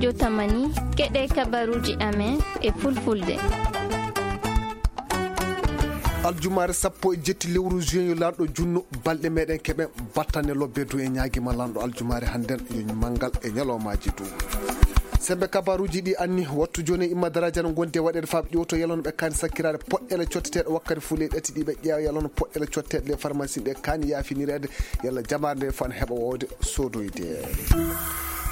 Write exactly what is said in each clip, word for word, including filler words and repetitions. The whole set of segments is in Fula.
Jotamani, keɗe kabaruji amen e fulfulde. Aljumaare sappo e jetti lewru juin, yo lanɗo junno balɗe meɗen keɓen battane lobbe du e ñaagima lanɗo aljumaare hannden yo manngal e ñalawmaaji du. Sembe kabaruji ɗi anni wattu jooni e imma daraja no gondi e waɗeede faaɓe ƴewto yalano ɓe kaani sakkiraade poɗɗeele cotteteeɗe wakkati fuu ley ɗati ɗi ɓe ƴeewa yalano poɗɗeele cotteteeɗe le pharmacie ɗe kaani yaafinireede yalla jamaare nde fan heɓa wawde sodoyde.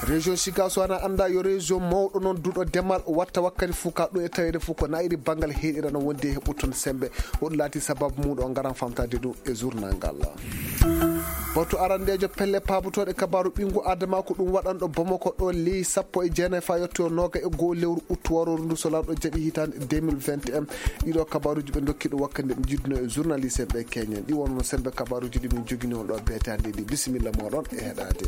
Région Chicago ana annda yo région mawɗo noon duɗo demal watta wakkati fuu ka ɗum e taweede fuu ko naayiri banngal heeɗira no wondi e heɓɓu toon sembe. Ko ɗum laati sababu mum ɗo ngaran famtaade ɗum e journal ngal. Batu arandeejo pelle paabotooɗe kabaaru ɓinngu Adama ko ɗum waɗanɗo Bamako ɗo ley sappo e jeenayi faa yettoyo nooga e goo lewru uttu warooru ndu so lanɗo jaɓi hitaande deux mille vingt et un. Ɗiɗo kabaaruji ɓe ndokki ɗum wakkati nde ɓe njiddunoo e journaliste en ɓe keñen ɗi wonno sembe kabaaruji ɗi min jogini on ɗo beetaande ɗi bisimilla mooɗon e heɗaade.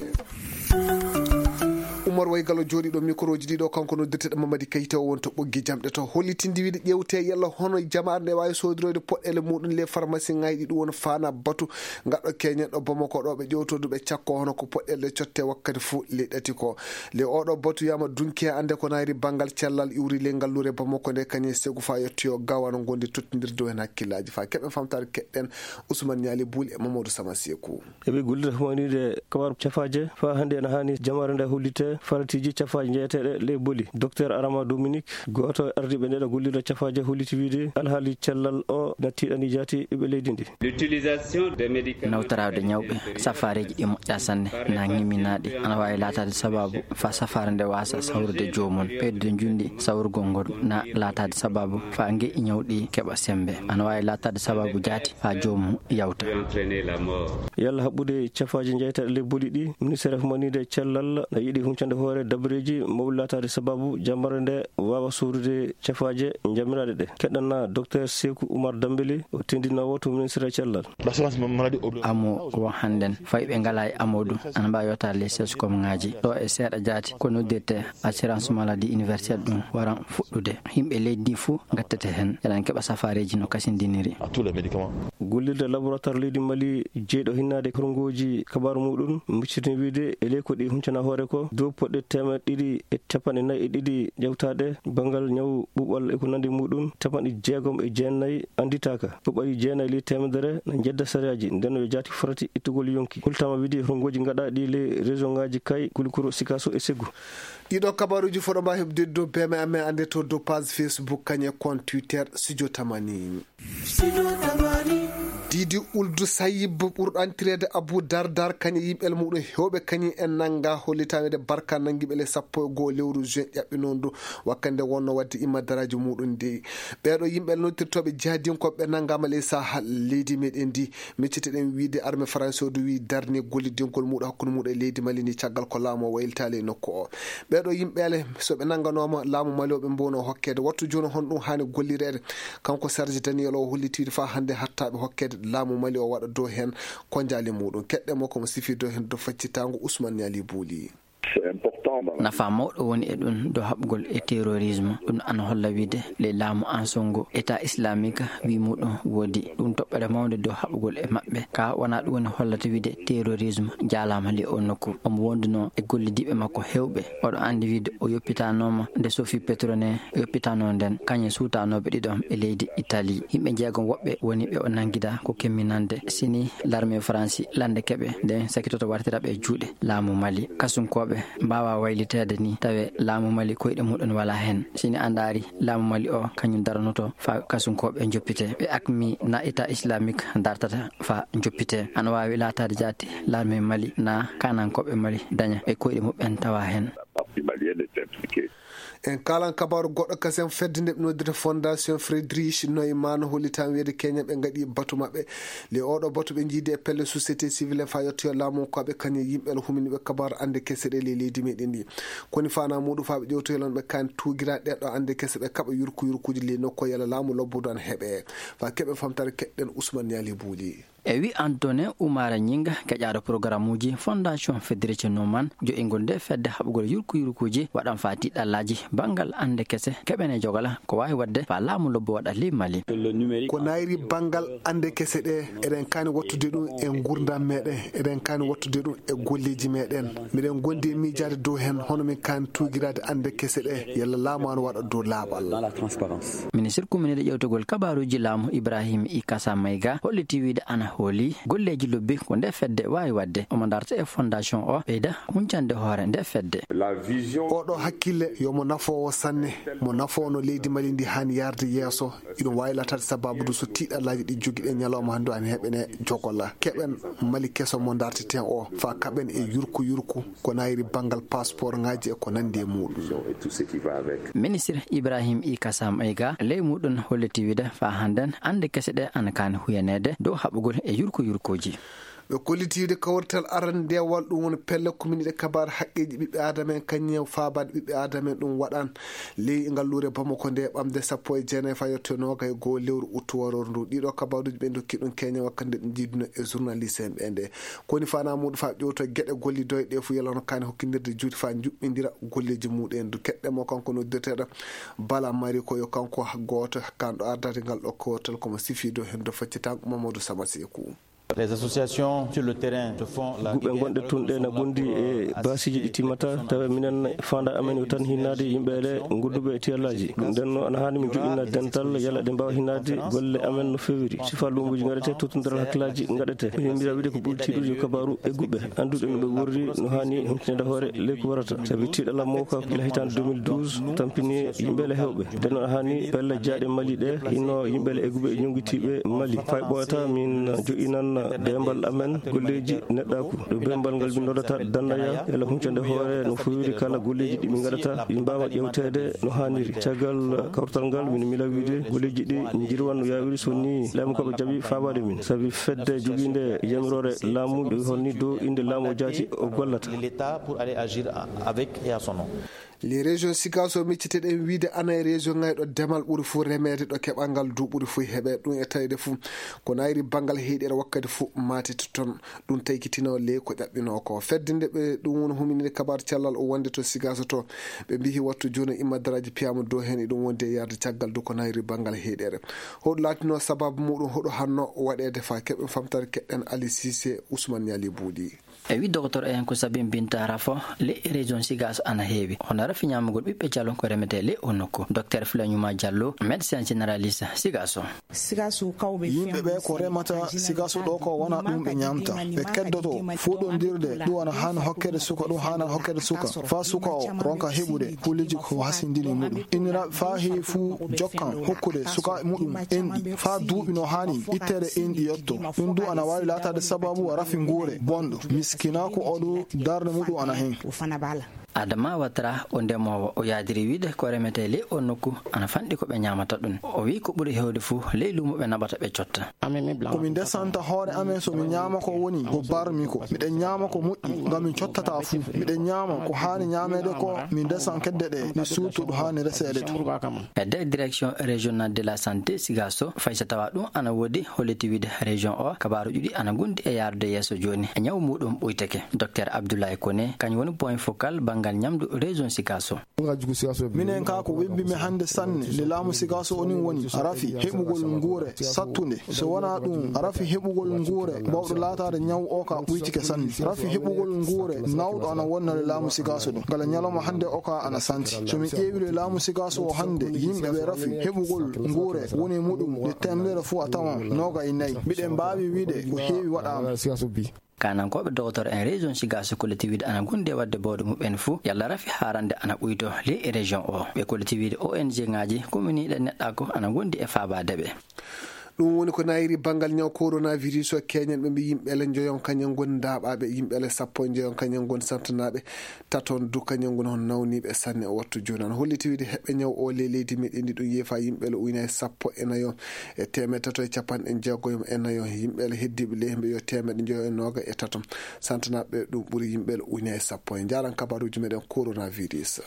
Umar Waygalo jooɗiiɗo microji ɗiɗo kanko noddirteɗo Mamadi Kayta o won to ɓoggi jamɗe to hollitindi wiide ƴewte yalla hono jamaare nde waawi soodiroyde poɗɗeele muɗum le pharmacie ŋaaji ɗi ɗum woni faana batu ngaɗɗo keñen ɗo Bamako ɗo ɓe ƴewtodu ɓe cakko hono ko poɗɗeele cotte wakkati fuu le ɗati ko le oɗo batu yama dunki ande ko naayri banngal cellal iwri le ngalluure Bamako nde kañum segu faa yettoyo gawano gondi tottindirde o heen hakkillaaji faa keɓen famtaade keɗɗen Ousmane Niali Bouli e Mamadou Sama Seku. Eɓe gollira humanide kabaru cafaaje faa hannde ena haani jamaare nde hollite faratiiji cafaaje jeyeteeɗe ley boli. Docteur Arama Dominique, gooto e ardiiɓe ndeɗo gollirde cafaaje, holliti wiide alhaali cellal o na tiiɗani jaati ɓiɓɓe leydi ndi. Nawtoraade ñawɓe safaareeji ɗi moƴƴa sanne na ŋiminaaɗi ana waawi laataade sabaabu faa safaare nde waasa sawrude joomum. Ɓeydude njundi sawrugol ngol na laataade sabaabu faa ngeƴƴi ñawɗi keɓa sembe. Ana waawi laataade sabaabu jaati faa joomum yawta. Yalla haɓɓude cafaaji jeytaɗe le boli ɗi, ministère humanide e cellal na yiɗi huncande hoore dabreeji mawɗi laataade sabaabu jammarde nde waawa sowrude cafaaje jammiraaɗe ɗe. Keɗɗana Docteur Seku Umar Dambeli, o tindinoowo to ministère cellal. Amo ko hannden fayɓe ngalaa e amo ɗum ana mbaawi yottaade les sescom ŋaaji ɗo e seeɗa jaati ko noddirte assurance maladie universelle ɗum waran fuɗɗude. Yimɓe leydi ndi fof ngattete heen eɗen keɓa safaareeji no kasindiniri. Gollirde laboratoire leydi Mali jeyɗo hinnaade horngooji kabaaru muɗum muccitini wiide e ley ko ɗi huncana hoore ko dow poɗɗe teemeɗɗe ɗiɗi e capanɗe nayi e ɗiɗi ƴewtaaɗe banngal ñaw ɓuɓal e ko nandi muɗum capanɗe jeegom e jeenayi annditaaka. Ko ɓayi jeenayi ley teemedere na njedda sariyaaji nden yo jaati farati ittugol yonki. Hultama wiide horngooji ngaɗaaɗi ley région ŋaaji kay Kulikoro, Sikaso e Segu. Ɗiɗo kabaruji foɗo mba heɓde dow beme amen annde to dow page Facebook kañe compte Twitter Studio Tamani. Didi Uldu Sayib ɓurɗo antireede Abu Dardar kañe yimɓel muɗum hewɓe kañum en nannga hollitaade barka nanngiɓe le sappo e goo lewru juin ƴaɓɓinondu wakkande wonno wadde imma daraaji muɗum ndi. Ɓeeɗo yimɓe noddirtooɓe jihadinkoɓe ɓe nanngaama le saha leydi meɗen ndi. Micciteɗen wiide arme faransi o du wi darni gollidingol muɗum hakkunde muɗum e leydi Mali ni caggal ko laamu o waylitaali e nokku o. Ɓeeɗo yimɓeele so ɓe nannganooma laamu Mali o ɓe mbowno hokkeede wattu jooni hon ɗum haani gollireede. Kanko Serge Daniel o holliti wiide faa hannde hattaaɓe hokkeede laamu Mali o waɗa dow heen konjaali muɗum keɗɗe mo komo sifi dow heen dow faccitaango Ousmane Niali Bouli. Nafa mawɗo woni e ɗum dow haɓugol e terrorisme ɗum ana holla wiide ley laamu ansongo état islamique wi muɗum woodi ɗum toɓɓere mawnde dow haɓugol e maɓɓe ka wona ɗum woni hollata wiide terrorisme jaalama ley o nokku. Omo wonduno e gollidiiɓe makko hewɓe oɗo andi wiide o yoppitanooma nde sofi petrone yoppitano nden kañum suutanooɓe ɗiɗon e leydi Italie. Yimɓe jeegom woɓɓe woni ɓe o nanngida ko kemminande sini larme faransi lande keɓe nden sakitoto wartira ɓe juuɗe laamu Mali. Kasunkooɓe mbaawa wayliteede ni tawe laamu Mali koyɗe muɗum wala heen. Sini a ndaari laamu Mali o kañum daranoto faa kasunkooɓe njoppite. Ɓe akmi na état islamique dartata faa njoppite. Ana waawi laataade jaati larme Mali na kanankooɓe Mali daña e koyɗe muɓɓen tawa heen. En kaalan kabaaru goɗɗo kasen fedde nde ɓe noddirta Fondation Friedrich Naumann hollitaama wiyeede keñen ɓe ngaɗi batu maɓɓe. Le oɗo batu ɓe njiidi e pelle société civile faa yettoyo laamu ko ɓe kañum yimɓe ala huminiiɓe kabaaru annde kese ɗe ley leydi meɗen ndi. Koni faanaa muɗum faa ɓe ƴewtoyo lan ɓe kaan tuugira ɗeɗo annde kese ɓe kaɓa yurku yurkuuji ley nokko yala laamu lobbudu an heɓe. Faa keɓe famtare keɗɗen Ousmane Niali Bouli. E wi Antonin Umara Ñinga, keƴaaɗo programmuuji Fondation Federici Numan, jo'ingol nde fedde haɓugol yurku yurkuuji waɗan faa tiiɗallaaji banngal annde kese keɓene jogala ko waawi waɗde faa laamu lobbo waɗa ley Mali. Ko nayri banngal annde kese ɗe, eɗen kaani wattude ɗum e nguurndam meɗen, eɗen kaani wattude ɗum e golleeji meɗen. Miɗen gondi e miijaade dow heen, hono min kaani tuugiraade annde kese ɗe, yalla laamu ana waɗa dow laaɓal. Ministir kuminide ƴewtugol kabaaruuji laamu Ibrahim Ikasa Mayga holliti wiide ana hooli golleeji lobbi ko nde fedde waawi waɗde. Omo darta e fondation o ɓeyda huncande hoore nde fedde. Oɗo hakkille yo mo nafoowo sanne, mo nafoono leydi Mali ndi haani yarde yeeso. Iɗum waawi laataade sababu du so tiiɗallaaji ɗi jogiɗen ñalawma hannde ana heɓene jogola. Keɓen Mali keso mo darteten o, faa kaɓen e yurku yurku ko nayri banngal passeport ŋaaji e ko nanndi e muuɗum. Ministir Ibrahim Ikasa Mayga ley muuɗum holliti wiide faa hannden annde kese ɗe ana kaani huyaneede dow haɓugol e yurku yurkuuji. Ɓe kolliti wiide kawrital arandeewal ɗum woni pelle kuminiɗe kabaar haqqeeji ɓiɓɓe aadama en kañum e faabaade ɓiɓɓe aadama en ɗum waɗan ley ngalluure Bamako nde ɓamde sappo e jeenayi faa yetto e noogay e goo lewru uttu warooru ndu. Ɗiɗo kabaaruuji ɓe ndokki ɗum keñe wakkati nde ɗum jiiduno e journaliste en ɓe nde. Ko woni faanaa muuɗum faa ƴewto geɗe gollidoyɗe fof yalla no kaani hokkindirde juuti faa njuɓɓindira golleeji muuɗum en du. Keɗɗe mo kanko noddirteeɗo Bala Mari ko yo kanko gooto kanɗo ardade ngal ɗo kawrital komo sifiido heen do faccitango Mamadou Sama Seeku. Les associations sur le terrain se font la guɓe gonɗe tun ɗe na gondi e baasiiji ɗi timmata tawa minen fanda amen yo tan hinnaade yimɓe ɗe gonduɓe e tiyallaaji. Ɗum ɗen no ana haani min joɗɗina dental yalla ɗe mbaawa hinnaade golle amen no feewiri sifa luumoji gaɗete tottondiral hakkillaaji gaɗete. Min mbira wiide ko ɓuri tiiɗude yo kabaaru e guɓe annduɓe no ɓe worri no haani humpitinde hoore ley ko warata sabi tiiɗalla mawka gila hitande deux mille douze tampini yimɓe le hewɓe. Nden no haani pelle jaaɗe Mali ɗe hinno yimɓe le egguɓe e ñongitiiɓe Mali fay ɓooyata min joɗɗinan dembal amen golleeji neɗɗaaku. Ɗo bembal ngal min noddata dandaya ela huncande hoore no fowiri kala golleeji ɗi min ngaɗata ɗi mbaawa ƴewteede no haaniri. Caggal kawrital ngal min mila wiide golleeji ɗi njirwan no yaawiri so ni laamu ko ɓe jaɓi faabaade min sabi fedde jogiinde yamiroore laamu ɓe holni dow innde laamu o jaati o gollata. Les régions sigaso micciteɗen wiide ana e région ŋayɗo demal ɓuri fof remeede ɗo keɓal ngal du ɓuri fof heɓe ɗum e tawde fof ko nayri banngal heyɗere wakkati fof matete toon. Ɗum taykitino le ko ƴaɓɓino ko fedde nde ɓe ɗum woni huminide kabar cellal o wonde to sigaso to ɓe mbihi wattu jooni immadaraaji piyama dow heen eɗum wondi e yarde caggal du ko nayri banngal heyɗere. Hoɗo laatino sababu muɗum hoɗo hanno waɗeede fa keɓen famtare keɗɗen Ali Sise Ousmane Ñali Buuɗi. E wi docteur en ko sabi mbinta rafo le région sigaso ana heewi hono rafi ñamugol ɓiɓɓe calo ko remete le o nokku docteur Flañuma Diallo médecin généraliste sigaso. Yimɓe ɓe ko remata sigaso ɗo ko wona ɗum ɓe ñamta ɓe keddoto fuɗondirde ɗum ana haani hokkede suka ɗum haana hokkede suka fa suka o ronka heɓude kuliji ko hasindini muɗum innira fa heewi fuu jokkan hokkude suka muɗum enɗi fa duuɓi no haani ittere enɗi yotto. Ɗum du ana waawi laataade sababu wa rafi nguure bonɗo miskinaaku o du darnde muɗum ana heen. Adama Watara o ndemoowo o yaadiri wiide ko remete ley o nokku ana fanɗi ko ɓe ñaamata ɗum o wi ko ɓuri heewde fuu ley luumo ɓe naɓata ɓe cotta. Komi ndesanta hoore amen so mi ñaama ko woni ko barmi ko miɗen ñaama ko moƴƴi ngam min cottata fuu miɗen ñaama ko haani ñaameede ko min ndesan kedde ɗe mi suuto ɗo haani reseede to. E nder direction régionale de la santé sigaso fay so tawa ɗum ana woodi holliti wiide région o kabaaruuji ɗi ana gondi e yaarude yeeso jooni e ñaw muɗum ɓuyteke docteur Abdoulaye Kone kañum woni point focal banngal ñamdu région sigaso. Minen ka ko webbi mi hannde sanne nde laamu sigaso onin woni rafi heɓugol nguure sattunde so wona ɗum rafi heɓugol nguure bawɗo laataade ñaw o ka ɓuytike sanne rafi heɓugol nguure nawɗo ana wonnore laamu sigaso ɗum ngala ñalawma hannde o ka ana santi so min ƴeewi le laamu sigaso o hannde yimɓe ɓe rafi heɓugol nguure woni muɗum nde temedere fof a tawan noga e nayi mbiɗen mbaawi wiide ko heewi waɗaama. Kanankooɓe docteur en région sigaso kolliti wiide ana gondi e waɗde bawɗe muɓɓen fuu yalla rafi haarande ana ɓuyto ley e région o ɓe kolliti wiide ong ngaji kuminiiɗe neɗɗaako ana gondi e faabaade ɓe. Ɗum woni ko nayiri banngal ñaw coronavirus o keñen ɓe mbi yimɓe le njoyon kañen ngoni ndaaɓaaɓe yimɓe le sappo e njoyon kañen ngoni santanaaɓe taton du kañen ngoni hon nawniiɓe sanne o wattu jooni ana holliti wiide heɓɓe ñaw o ley leydi meɗen ndi ɗum yeefa yimɓe le uyna e sappo e nayo e teemeɗe tato e capanɗe jeegoyom e nayo yimɓe le heddiiɓe ley hemɓe yo teemeɗe njoyo e nooga e tato santanaaɓe ɗum ɓuri yimɓe le uyna e sappo e njaran kabaruuji meɗen coronavirus.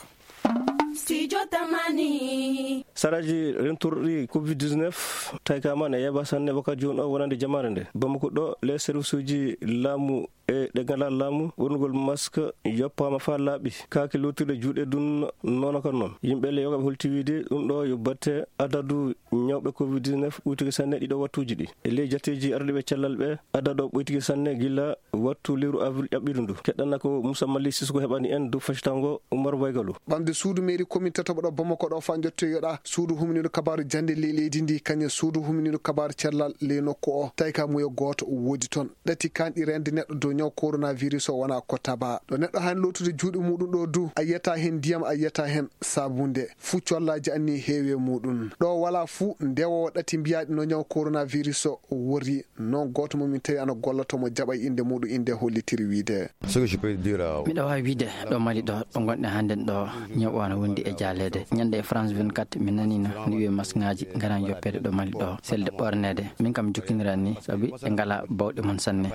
Studio Tamani. Saraaji rentorɗi covid dix-neuf tawi ka man e yaba sanne wakkati jooni o wonande jamaare nde. Bamako ɗo, les service uji laamu e ɗe ngala laamu, ɓornugol masque yoppaama faa laaɓi. Kaake lootirɗe juuɗe dun noona kan noon. Yimɓe le yoga ɓe holti wiide ɗum ɗo yo batte adadu ñawɓe covid dix-neuf ɓuytike sanne ɗiɗo wattuuji ɗi. E ley jateeji ardiiɓe cellal ɓe, adadu o ɓuytike sanne gila wattu lewru avril ƴaɓɓiiɗo ndu. Keɗɗana ko Moussa Mali Sissoko heɓani en dow facitango Oumar Waygalu. Ɓamde suudu mairie commune tataɓo ɗo Bamako ɗo faa jottoyoɗa suudu humniiɗo kabaaru jannde ley leydi ndi, kañum suudu humniiɗo kabaaru cellal ley nokku o. Tawi ka muyo gooto woodi toon. Ɗati kanɗi reende neɗɗo dow ñaw coronavirus o wona ko taba. Ɗo neɗɗo haani lootude juuɗe muɗum ɗo du, a yiyata heen ndiyam, a yiyata heen saabunde. Fuu collaaji anni heewi e muɗum. Ɗo wala fuu ndewo ɗati mbiyaaɗi no ñaw coronavirus o worri. Noon gooto mo min tawi ana golla to mo jaɓa innde muɗum, innde hollitiri wiide. Ce que je peux dire, euh, Miɗo waawi wiide ɗo Mali ɗo, ɗo ngonɗen hannden ɗo, ñaw o ana wondi e jaaleede. Ñande e France vingt-quatre, min naniino ni wiye masŋaaji ngara joppeede ɗo Mali ɗo, selde ɓorneede. Min kam jokkindiran ni, sabi ɓe ngala bawɗe mum sanne.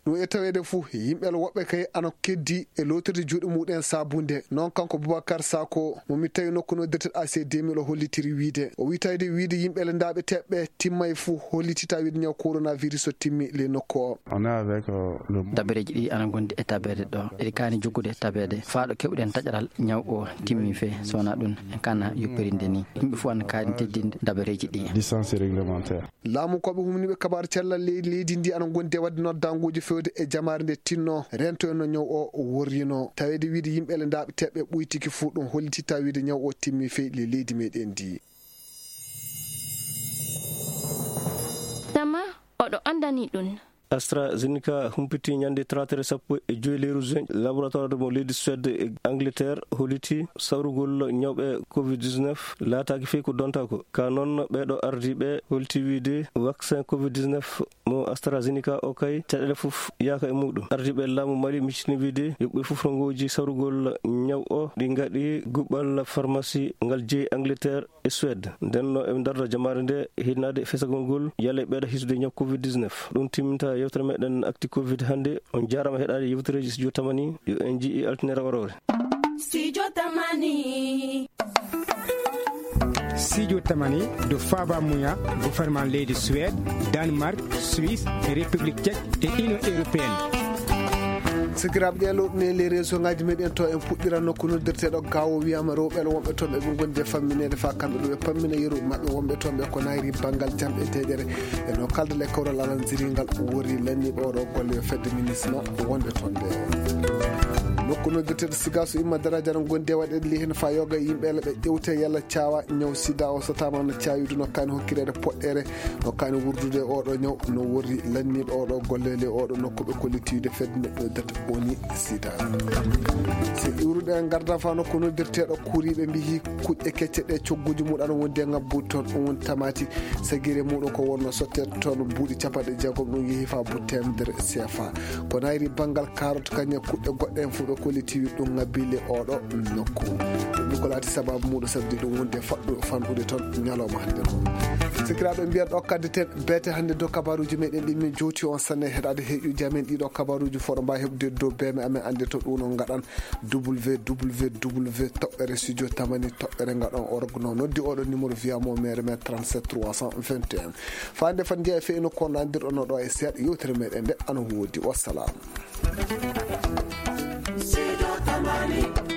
Ɗum e taweede fuu, yimɓe le woɓɓe kay ana keddi e lootirde juuɗe muɗum en saabunde. Noon kanko Boubacar Sako, mo mi tawi nokku no dirtel A C deux mille o hollitiri wiide. O wi tawde wiide yimɓe le ndaaɓe teɓɓe timmay fuu holliti tawi wiide ñaw coronavirus o timmi le nokku o. On est avec, euh, le Dabareeji ɗi ana ngondi e tabeede ɗo. Eɗi kaani jokkude tabeede. Faa ɗo keɓuɗen taƴaral ñaw o timmi fee, so wonaa ɗum en kana yopperinde ni. Yimɓe fuu ana kaani teddinde dabareeji ɗi. Distance réglementaire. Laamu ko ɓe humniiɓe kabaaru cellal leydi, leydi ndi ana ngondi e waɗde noddaanguuji fewde e jamaare nde tinno rento en no ñaw o worrino. Taweede wiide yimɓe le ndaaɓe teɓɓe ɓuytiki fuu ɗum holliti tawi wiide ñaw o timmi fey le leydi meɗen ndi. Tama oɗo anndani ɗum. AstraZeneca humpiti ñande talaata sappo e joy lewru juin, laboratoire mo leydi Suède e Angleterre holliti sawrugol ñawɓe covid dix-neuf laataaki fey ko donta ko. Ka noon ɓeeɗo ardiiɓe holti wiide vaccin covid dix-neuf mo AstraZeneca o kay caɗeele fof yaaka e muɗum. Ardiiɓe laamu Mali miccitini wiide yo ɓe fof rongooji sawrugol ñaw o ɗi ngaɗi guɓɓal pharmacie ngal jeyi Angleterre e Suède. Nden no eɓe ndarda jamaare nde hinnaade fesagol ngol yalla e ɓeeɗo hisude ñaw covid dix-neuf. Ɗum timminta yewtere meɗen Actu Covid hannde. On jaarama heɗaade yewtereeji Studio Tamani. Yo en njii altine rewo rewre. Studio Tamani. Studio Tamani do faba muya gouvernement leydi Suède, Danemark, Suisse, République Tchèque et Union Européenne. Sikiraaɓe, ɗe lowɗune les réseau ngaji meɗen to en puɗɗira nokku noddirteɗo Gaawo wiyama rewɓe wonɓe toon ɓe ɓe gondi e fammineede faa kamɓe ɗo ɓe pammina yeru maɓɓe wonɓe toon ɓe ko nayri banngal jam e deeƴere. E no kalda le kawral alan ziringal worri lanniiɓe oɗo golle yo fedde minisma wonɓe toon ɓe. Nokku noddirteɗo Sigaso imma daraja no gondi e waɗeede li heen faa yoga e yimɓe ɓe ƴewte yalla caawa ñaw sida o so tama no caawidi no kaani hokkireede poɗɗere no kaani wurdude oɗo ñaw no worri lanniiɗo oɗo golle le oɗo nokku ɓe kollitiwde fedde neɗɗo data woni sida. So iwruɗe en ngarda faa nokku noddirteɗo kuriiɓe mbiyi kuƴƴe kecce ɗe cogguji muɗum ana wondi e ngabbude toon ɗum woni tamati sagire muɗum ko wonno sotte toon buuɗi capanɗe jeegom ɗum yehi faa buuɗi temedere C F A. Ko nayri banngal carotte kañum e kuƴƴe goɗɗe en fof ɓe kollitiwi ɗum ngabbi le oɗo nokku. Ɗum ko laati sababu muɗum sabdi ɗum wonde faɗɗu fanɗude toon ñalawma hannde o. Sikiraaɓe mbiyan ɗo kaddi ten beete hannde dow kabaruuji meɗen ɗi min jowti on sanne heɗaade heƴuji amen ɗiɗo kabaruuji foɗo mba heɓde dow beeme amen annde to ɗum on ngaɗan W W W toɓɓere studio tamani toɓɓere ngaɗon org no noddi oɗo numéro via mo mere men trente-sept trois cent vingt et un. Faande fan njeya feyno ko nandirɗon ɗo e seeɗa yewtere meɗen nde ana woodi. Wassalam. Studio Tamani.